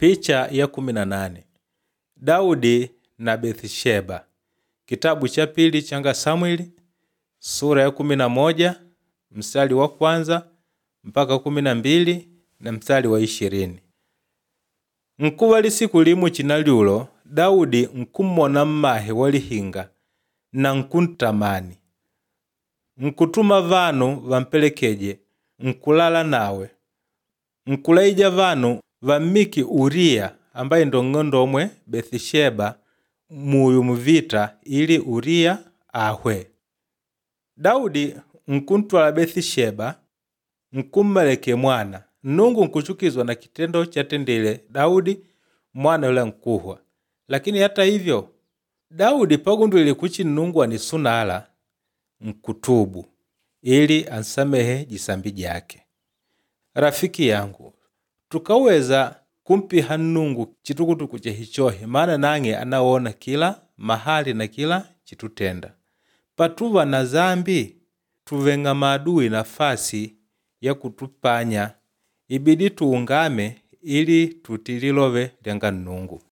Picha ya 18. Daudi na Bethsheba. Kitabu cha pili changa Samweli sura ya 11 mstari wa kwanza mpaka 12 na mstari wa 20. Nkuva lisiku limu chinalyulo Daudi nkummona mmahe wa lihinga na nkuntamani. Nkutuma vanu vampelekeje nkulala nawe. Nkulaija vanu vammike Uria ambaye ndo nng'ondomwe Bethsheba muyu muvita ili Uria ahwe. Daudi nkuntwala Bethsheba nkummaleke mwana. Nnungu nkuchukizwa na kitendo chatendile Daudi mwana yula nkuhwa. Lakini hata hivyo Daudi pagundwile kuchi Nnungu anisunala nkutubu ili ansamehe jisambi jake. Rafiki yangu, tukaweza kumpiha Nnungu chitukutuku chehichohi maana nang'e anawona kila mahali na kila chitutenda. Patuva na zambi tuveng'a maadui nafasi ya kutupanya ibidi tuungame ili tutii lilove lyanga Nnungu.